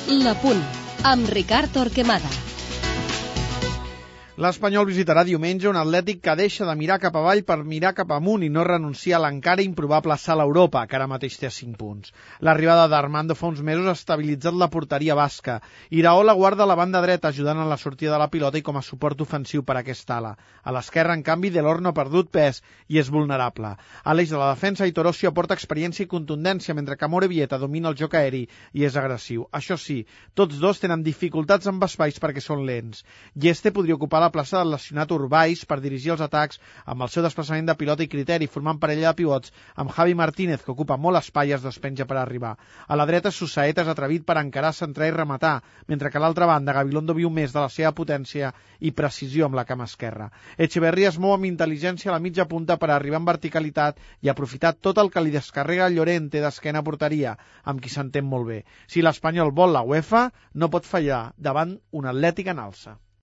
La Punt, amb Ricard Torquemada. L'Espanyol visitarà diumenge un Atlètic que deixa de mirar cap avall per mirar cap amunt i no renuncia a l'encara improbable salt a Europa, que ara mateix té 5 punts. L'arribada d'Armando fa uns mesos ha estabilitzat la porteria basca. Iraola guarda la banda dreta, ajudant en la sortida de la pilota i com a suport ofensiu per a aquesta ala. A l'esquerra, en canvi, Delors no ha perdut pes i és vulnerable. A l'eix de la defensa, Aitor Ossio aporta experiència i contundència, mentre que Amorebieta domina el joc aeri i és agressiu. Això sí, tots dos tenen dificultats amb espais perquè són lents. Gieste podria ocupar la plaça del lesionat Urbais per dirigir els atacs amb el seu desplaçament de pilota i criteri, formant parella de pivots amb Javi Martínez, que ocupa molt espai i es despenja per arribar. A la dreta, Susaeta és atrevit per encarar, centrar i rematar, mentre que a l'altra banda, Gabilondo viu més de la seva potència i precisió amb la cama esquerra. Echeverría es mou amb intel·ligència a la mitja punta per arribar en verticalitat i aprofitar tot el que li descarrega Llorente d'esquena a porteria, amb qui s'entén molt bé. Si l'Espanyol vol la UEFA, no pot fallar davant un Atlètic en alça.